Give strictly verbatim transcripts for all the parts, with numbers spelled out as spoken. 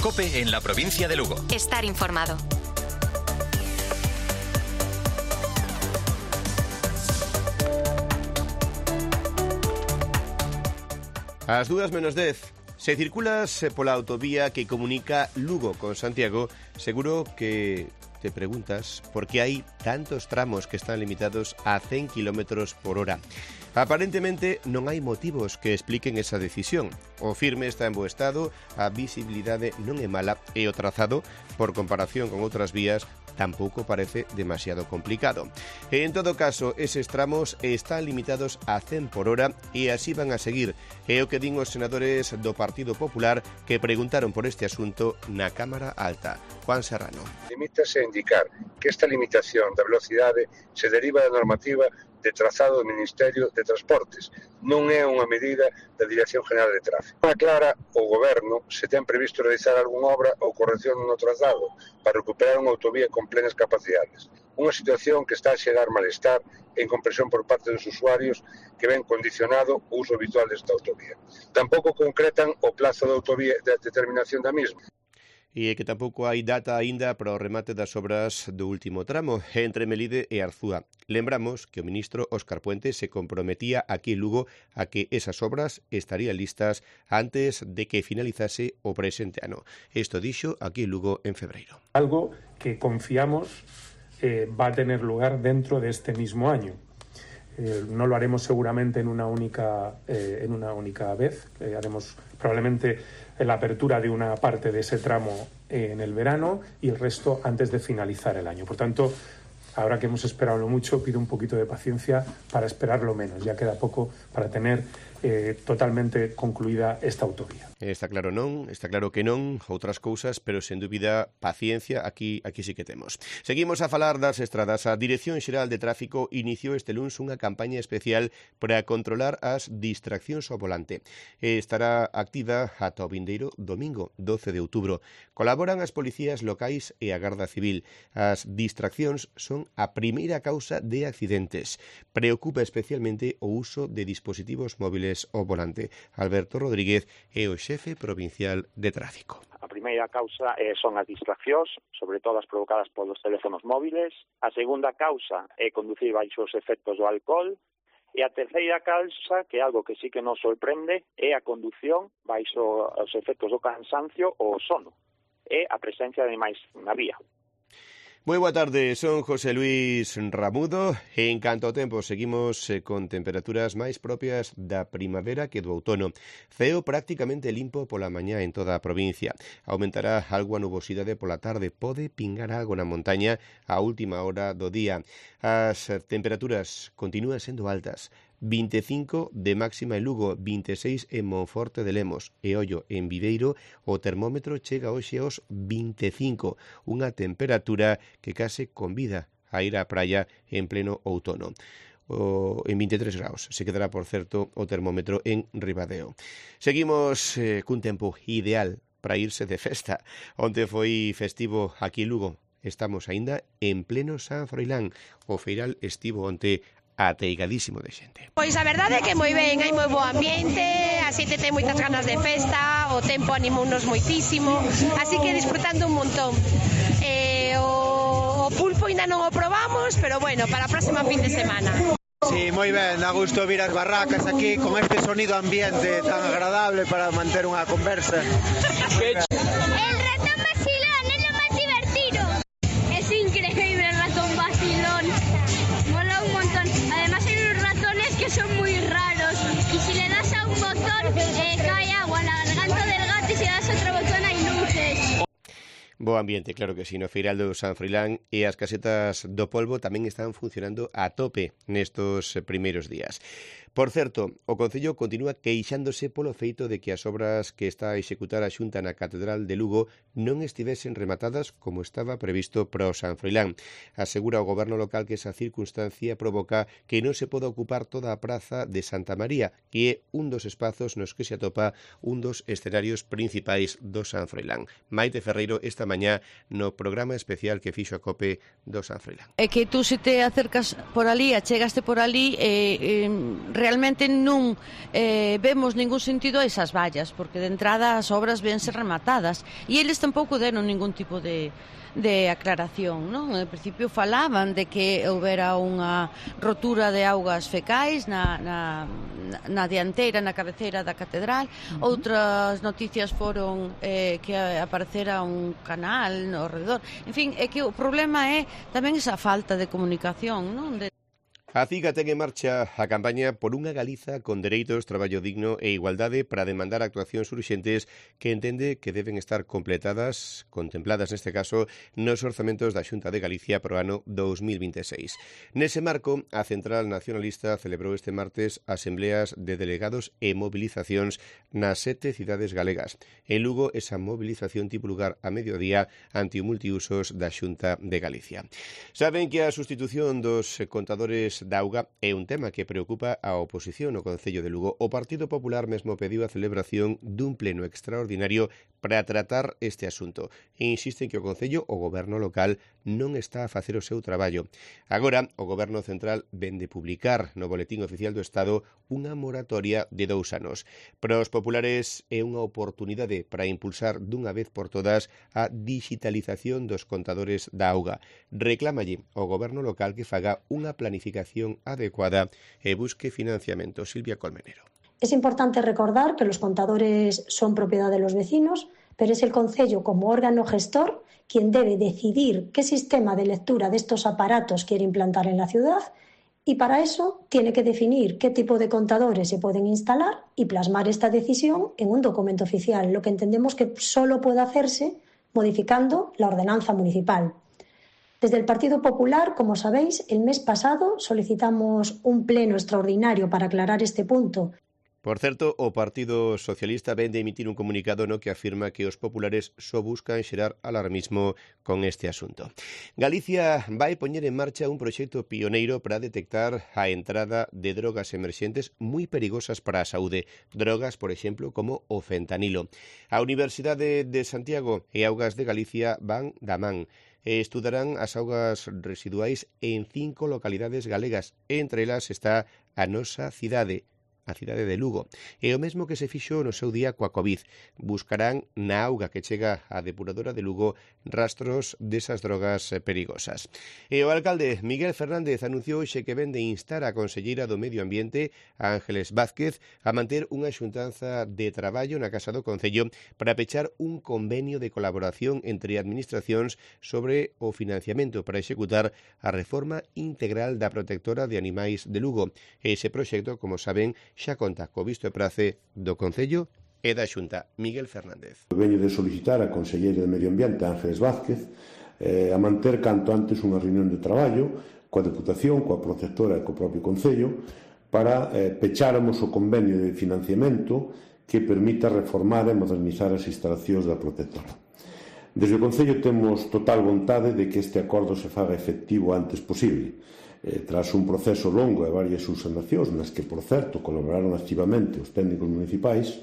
COPE en la provincia de Lugo. Estar informado. Ás dúas menos dez. Se circulas pola autovía que comunica Lugo con Santiago, seguro que te preguntas por qué hai tantos tramos que están limitados a cen kilómetros por hora. Aparentemente non hai motivos que expliquen esa decisión. O firme está en bo estado, a visibilidade non é mala e o trazado, por comparación con outras vías, tampouco parece demasiado complicado. En todo caso, eses tramos están limitados a cen por hora e así van a seguir. É o que din os senadores do Partido Popular que preguntaron por este asunto na Cámara Alta. Juan Serrano. Limítase a indicar que esta limitación da velocidade se deriva da normativa de trazado do Ministerio de Transportes. Non é unha medida da Dirección General de Tráfico. Aclara o Goberno se ten previsto realizar algunha obra ou corrección no trazado para recuperar unha autovía con plenas capacidades. Unha situación que está a xerar malestar e incomprensión por parte dos usuarios que ven condicionado o uso habitual desta autovía. Tampouco concretan o plazo da autovía de determinación da mesma. E que tampouco hai data aínda para o remate das obras do último tramo entre Melide e Arzúa. Lembramos que o ministro Óscar Puente se comprometía aquí en Lugo a que esas obras estarían listas antes de que finalizase o presente ano. Isto dixo aquí en Lugo en febreiro. Algo que confiamos eh, va a tener lugar dentro de este mismo año. Eh, no lo haremos seguramente en una única, eh, en una única vez. Eh, haremos probablemente la apertura de una parte de ese tramo eh, en el verano y el resto antes de finalizar el año. Por tanto, ahora que hemos esperado mucho, pido un poquito de paciencia para esperarlo menos. Ya queda poco para tener eh, totalmente concluida esta autovía. Está claro non, está claro que non, outras cousas, pero sen dúbida paciencia, aquí aquí sí que temos. Seguimos a falar das estradas. A Dirección Xeral de Tráfico iniciou este luns unha campaña especial para controlar as distraccións ao volante. Estará activa ata o vindeiro domingo, doce de outubro. Colaboran as policías locais e a Garda Civil. As distraccións son a primeira causa de accidentes. Preocupa especialmente o uso de dispositivos móviles ao volante. Alberto Rodríguez é o xefe provincial de tráfico. A primeira causa eh, son as distraccións, sobre todo as provocadas polos teléfonos móviles. A segunda causa é conducir baixo os efectos do alcohol. E a terceira causa, que é algo que sí que nos sorprende, é a condución baixo os efectos do cansancio ou sono. É a presencia de animais na vía. Moi boa tarde, son José Luis Ramudo e en canto ao tempo seguimos eh, con temperaturas máis propias da primavera que do outono. Ceo prácticamente limpo pola mañá en toda a provincia. Aumentará algo a nubosidade pola tarde, pode pingar algo na montaña a última hora do día. As temperaturas continúan sendo altas. vinte e cinco de máxima en Lugo, vinte e seis en Monforte de Lemos e ollo en Viveiro, o termómetro chega hoxe aos vinte e cinco, unha temperatura que case convida a ir á praia en pleno outono. O, en vinte e tres graus se quedará, por certo, o termómetro en Ribadeo. Seguimos eh, cun tempo ideal para irse de festa. Onte foi festivo aquí en Lugo. Estamos aínda en pleno San Froilán. O feiral estivo onte ateigadísimo de xente. Pois a verdade é que moi ben, hai moi bo ambiente, a xente ten moitas ganas de festa, o tempo animounos moitísimo, así que disfrutando un montón. Eh, o, o pulpo ainda non o probamos, pero bueno, para a próxima fin de semana. Sí, moi ben, a gusto vir as barracas aquí con este sonido ambiente tan agradable para manter unha conversa. El ratón vacilón é lo máis divertido. Es increíble el ratón vacilón. Mola un montón. Además hay unos ratones que son muy raros y si le das a un botón eh, cae agua en la garganta del gato y si le das a otro botón hay luces. Bo ambiente, claro que sí, no feiral do San Froilán e as casetas do polvo tamén están funcionando a tope nestos primeiros días. Por certo, o Concello continúa queixándose polo feito de que as obras que está a executar a Xunta na Catedral de Lugo non estivesen rematadas como estaba previsto para o San Froilán. Asegura o goberno local que esa circunstancia provoca que non se poda ocupar toda a praza de Santa María, que é un dos espazos nos que se atopa un dos escenarios principais do San Froilán. Maite Ferreiro esta mañá no programa especial que fixo a COPE do San Froilán. É que tú se te acercas por ali, achegaste por ali, eh, eh, realmente non eh, vemos ningún sentido a esas vallas, porque de entrada as obras vense rematadas, e eles tampouco deron ningún tipo de de aclaración, non? En principio falaban de que houbera unha rotura de augas fecais na, na, na dianteira, na cabeceira da catedral. Uh-huh. Outras noticias foron eh, que aparecera un canal no redor. En fin, é que o problema é tamén esa falta de comunicación, non? De A CIGA ten en marcha a campaña por unha Galiza con dereitos, traballo digno e igualdade para demandar actuacións urxentes que entende que deben estar completadas, contempladas neste caso, nos orzamentos da Xunta de Galicia pro ano dous mil vinte e seis. Nese marco, a Central Nacionalista celebrou este martes asembleas de delegados e movilizacións nas sete cidades galegas. En Lugo, esa movilización tivo lugar a mediodía ante o multiusos da Xunta de Galicia. Saben que a sustitución dos contadores da auga é un tema que preocupa a oposición no Concello de Lugo. O Partido Popular mesmo pediu a celebración dun pleno extraordinario para tratar este asunto e insisten que o Concello, o Goberno local, non está a facer o seu traballo. Agora, o Goberno Central vén de publicar no Boletín Oficial do Estado unha moratoria de dous anos. Para os populares é unha oportunidade para impulsar dunha vez por todas a digitalización dos contadores da auga. Reclámalle ao Goberno local que faga unha planificación adecuada e busque financiamento. Silvia Colmenero. Es importante recordar que los contadores son propiedad de los vecinos, pero es el Concello como órgano gestor quien debe decidir qué sistema de lectura de estos aparatos quiere implantar en la ciudad y para eso tiene que definir qué tipo de contadores se pueden instalar y plasmar esta decisión en un documento oficial, lo que entendemos que solo puede hacerse modificando la ordenanza municipal. Desde el Partido Popular, como sabéis, el mes pasado solicitamos un pleno extraordinario para aclarar este punto. Por certo, o Partido Socialista vén de emitir un comunicado no que afirma que os populares só buscan xerar alarmismo con este asunto. Galicia vai poñer en marcha un proxecto pioneiro para detectar a entrada de drogas emerxentes moi perigosas para a saúde. Drogas, por exemplo, como o fentanilo. A Universidade de Santiago e Augas de Galicia van da man. Estudarán as augas residuais en cinco localidades galegas. Entre elas está a nosa cidade, a cidade de Lugo. E o mesmo que se fixo no seu día coa COVID. Buscarán na auga que chega á depuradora de Lugo rastros desas drogas perigosas. E o alcalde Miguel Fernández anunciou hoxe que ven de instar a conselleira do Medio Ambiente, Ángeles Vázquez, a manter unha xuntanza de traballo na Casa do Concello para pechar un convenio de colaboración entre administracións sobre o financiamento para executar a reforma integral da protectora de animais de Lugo. Ese proxecto, como saben, xa conta co visto e prace do Concello e da Xunta. Miguel Fernández. Veño de solicitar a conselleira de Medio Ambiente, Ángeles Vázquez, eh, a manter canto antes unha reunión de traballo coa Deputación, coa Protectora e co propio Concello para eh, pecháramos o convenio de financiamento que permita reformar e modernizar as instalacións da Protectora. Desde o Concello temos total vontade de que este acordo se faga efectivo antes posible. Eh, tras un proceso longo e varias subsanacións nas que, por certo, colaboraron activamente os técnicos municipais,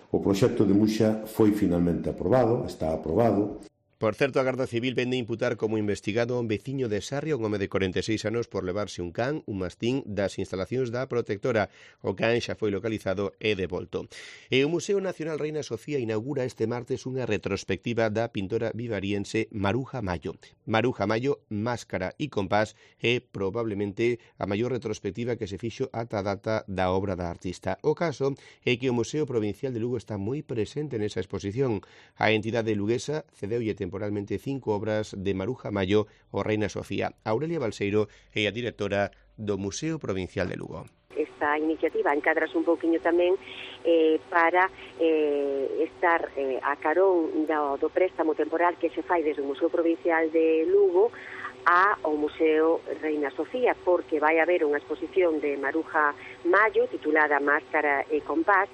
o proxecto de Muxa foi finalmente aprobado, está aprobado. Por certo, a Garda Civil vende imputar como investigado a un veciño de Sarria, un home de corenta e seis anos, por levarse un can, un mastín, das instalacións da protectora. O can xa foi localizado e devolto. E o Museo Nacional Reina Sofía inaugura este martes unha retrospectiva da pintora vivariense Maruja Mayo. Maruja Mayo, máscara e compás, é probablemente a maior retrospectiva que se fixo ata a data da obra da artista. O caso é que o Museo Provincial de Lugo está moi presente nesa exposición. A entidade luguesa cedeulle temporalmente cinco obras de Maruja Mayo o Reina Sofía. Aurelia Balseiro é a directora do Museo Provincial de Lugo. Esta iniciativa encadrase un pouquiño tamén eh, para eh, estar eh, a carón do, do préstamo temporal que se fai desde o Museo Provincial de Lugo ao Museo Reina Sofía, porque vai haber unha exposición de Maruja Mayo titulada Máscara e Compás,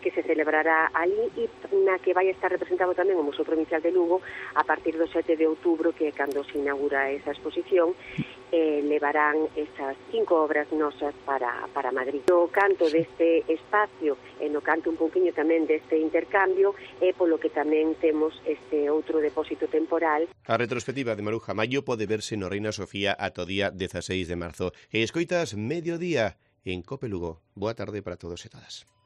que se celebrará ali e na que vai estar representado tamén o Museo Provincial de Lugo a partir do sete de outubro, que é cando se inaugura esa exposición, eh, levarán esas cinco obras nosas para, para Madrid. No canto deste espacio e no canto un pouquiño tamén deste intercambio é polo que tamén temos este outro depósito temporal. A retrospectiva de Maruja Mayo pode verse no Reina Sofía ata o día dezaseis de marzo. E escoitas Mediodía. en Cope Lugo. Boa tarde para todos e todas.